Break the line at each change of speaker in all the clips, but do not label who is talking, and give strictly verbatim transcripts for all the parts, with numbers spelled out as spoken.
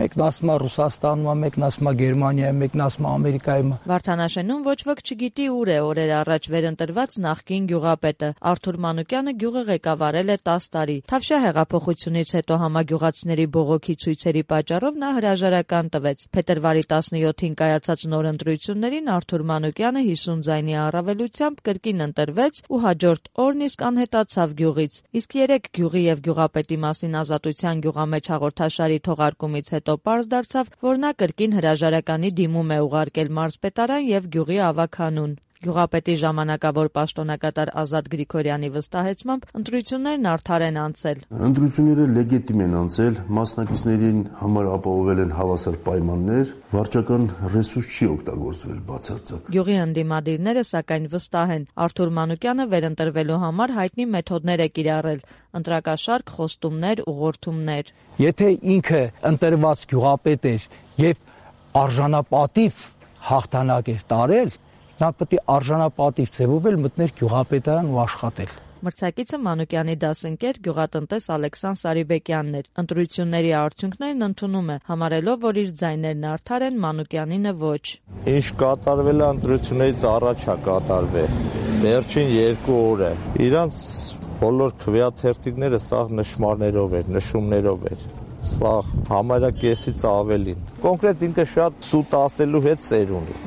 Մեկն ասում է Ռուսաստանում, մեկն ասում է Գերմանիայում, մեկն ասում է Ամերիկայում։
Վարդանաշենում ոչ ոք չգիտի ուր է օրեր առաջ վերընտրված նախկին գյուղապետը։ Արթուր Մանուկյանը գյուղը ղեկավարել է տասը տարի։ Թավշյա հեղափոխությունից հետո համագյուղացիների բողոքի ցույցերի պատճառով նա հրաժարական տվեց։ Փետրվարի տասնյոթին կայացած նոր ընտրություններին Արթուր Մանուկյանը հիսուն ձայնի առավելությամբ կրկին ընտրվեց ու հաջորդ օրն իսկ անհետացավ գյուղից։ Իսկ երեք գյուղի եւ գյուղապետի մասին Ազատության գյուղամեջ հաղորդաշարի թողարկումից հետո պարզ դարձավ, որ նա կրկին հրաժարականի դիմում է ուղարկել մարզպետարան եւ գյուղի ավագանուն։ Գյուղապետի ժամանակավոր պաշտոնակատար Ազատ Գրիգորյանի վստահեցմամբ ընտրություններն արդար են անցել։
Ընտրությունները լեգիտիմ են անցել, մասնակիցներին համար ապահովել են հավասար պայմաններ, վարչական ռեսուրս չի օգտագործվել բացարձակ։
Գյուղի ընդդիմադիրները սակայն վստահ են, Արթուր Մանուկյանը վերընտրվելու համար հայտնի մեթոդներ է կիրառել՝ ընտրակաշարք, խոստումներ, ուղղորդումներ։
Եթե ինքը ընտրված գյուղապետ էր եւ արժանապատիվ հաղթանակ էր տարել, նա պետք է արժանապատիվ ձևով էլ մտներ գյուղապետարան ու աշխատել։
Մրցակիցը Մանուկյանի դասընկեր գյուղատնտես Ալեքսան Սարիբեկյանն էր։ Ընտրությունների արդյունքներն ընդունում է, համարելով, որ իր ձայներն արդար են, Մանուկյանինը ոչ։
Ինչ կատարվել է ընտրություններից առաջ է կատարվել։ Վերջին երկու օրը իրանց բոլոր քվեաթերթիկները սաղ նշմարներով էր, նշումներով էր։ Սա համարյա կեսից ավելին։ Կոնկրետ ինքը շատ սուտ ասելու հետ սեր ունի։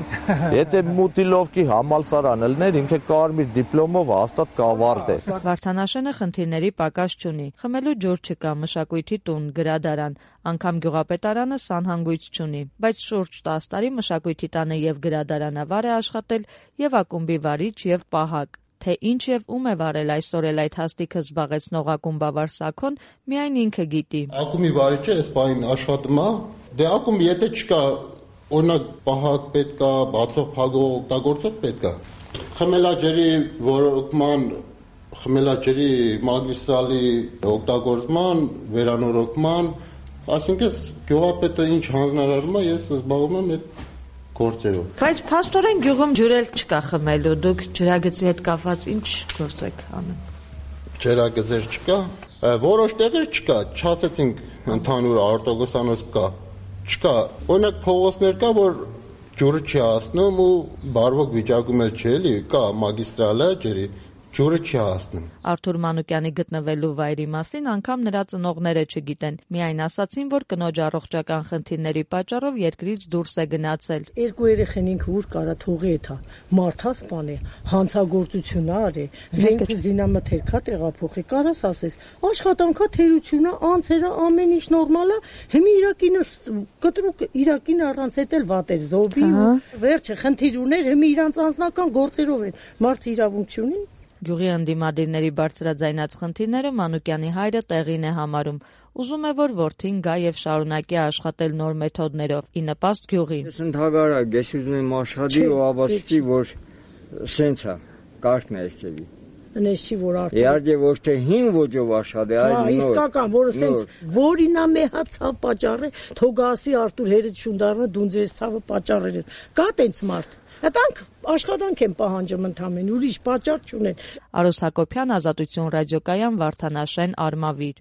Եթե Մուտիլովկի համալսարան ելներ, ինքը կարմիր դիպլոմով հաստատ կավարտեր։
Վարդանաշենը խնդիրների պակաս չունի։ Խմելու ջուր չկա, մշակույթի տուն, գրադարան, անգամ գյուղապետարանը սանհանգույց չունի, բայց շուրջ տասը տարի մշակույթի տանը եւ գրադարանավար է աշխատել եւ ակումբի վարիչ եւ պահակ։ Թե ինչ եւ ում է վարել այսօր էլ այդ հաստիքը զբաղեցնող ակումբավար Սաքոն, միայն ինքը գիտի։
Ակումբի վարիչը այս պահին աշխատում է, դե ակումբ եթե չկա, օրինակ պահակ պետք է, բացող փագող օգտագործող պետք է։ Խմելաջրի ոռոգման, խմելաջրի մագիստրալի օգտագործման, վերանորոգման, այսինքն գյուղապետը ինչ հանձնարարում է, ես զբաղվում եմ այդ գործերով։
Բայց փաստորեն գյուղում ջուր էլ չկա խմելու, դուք ջրագծի հետ կապված ինչ գործ եք անում։
Ջրագծեր չկա, որոշ տեղեր չկա, չասեցինք ընդհանուր արտոկոսանոց կա, չկա։ Օրինակ փողոցներ կա, որ ջուրը չի հասնում ու բարվոք վիճակում էլ չի, էլի, կա մագիստրալը ջրի, ջուրը չի հասնում։
Արթուր Մանուկյանի գտնվելու վայրի մասին անգամ նրա ծնողները չգիտեն։ Միայն ասացին, որ կնոջ առողջական խնդիրների պատճառով երկրից դուրս է գնացել։
Երկու երեխեն ինքը ուր կարա թողի էթա։ Մարդա սպանի, հանցագործություն արի, զենքը զինամթերքա տեղափոխի, կարաս ասես, աշխատանքա թերությունա, անձերը ամեն ինչ նորմալ է, հիմա իրակինը կտրուկ իրակին առանց էդ էլ վատ է զոհի ու վերջը խնդիր ուներ, հիմա իրանց անձնական գործերով են։ Մարդը իրավունք չունի։
Գյուղի ընդդիմադիրների բարձրաձայնած խնդիրները Մանուկյանի հայրը տեղին է համարում։ Ուզում է, որ որդին գա եւ շարունակի աշխատել նոր մեթոդներով՝ ի նպաստ գյուղի։
Ես ընդհանրապես ես ուզում եմ աշխատի ու ավարտի, որ սենց է, կարգն է այստեղի։
Նես չի որ արդեն։
Իհարկե ոչ թե հին ոճով աշխատի, այլ նոր։
Իսկական, որը սենց որին է մեհացավ պատճառը, թողասի Արթուր հերը շունդարը դունձես ցավը պատճառեր ես։ Կա տենց մարդ։ Հատանք աշխատանք են պահանջում ընդամեն, ուրիշ պատճառ չունեն։
Արոս Հակոբյան, Ազատություն ռադիոկայան, Վարդանաշեն, Արմավիր։